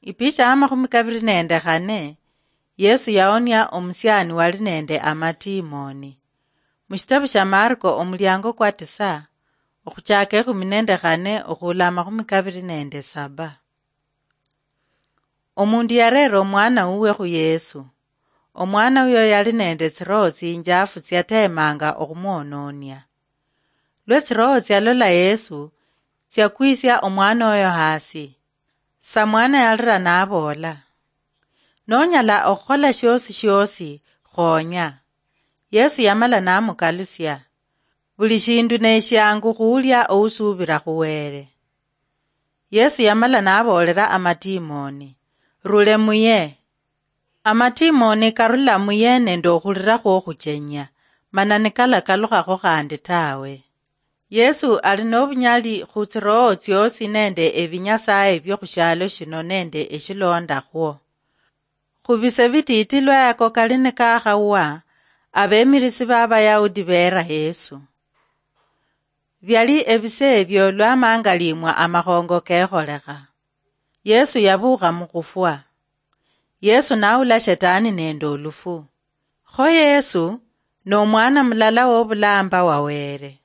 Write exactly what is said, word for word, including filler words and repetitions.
Ipicha ya makhumi kabiri nende khane, Yesu yaonia omusiani wali nende amatimoni. Mushitabu sha Marko omuliango kwa tisa, okhuchaka ekhumi nende khane okhula amakhumi kabiri nende saba. Omundu yarera omwana wuwe khu Yesu. Omwana uyo yali nende tsiroho tsinjafu tsiatemanga okhumwononia. Lwe tsiroho tsialola Yesu, tsiakwisia omwana oyo hasi. Samwana yalira naboola, "Nonyala okhukhola shiosi shiosi, khonya." Yesu yamala namukalusia, "Buli shindu neshiangu khuulia ousuubira khu Wele." Yesu yamala naboolera amatimoni, "Rule muye." Amatimoni karula muye nende okhulira khwokhuchenya, mana nikalakalukhakhwo khandi tawe. Yesu ali nobunyali khu tsiroho tsiosi nende ebinyasaye biokhushialo shino nende eshilondakhwo. Khubise bititi lwayako kali nikakhawa, abemirisi b'Abayahudi beera Yesu. Biali ebise ebyo lwamangalimwa amakhongo kekholekha. Yesu yabuukha mukhufwa. Yesu naula shetani nende olufu. Kho Yesu nomwana mulala wobulamba wa Wele.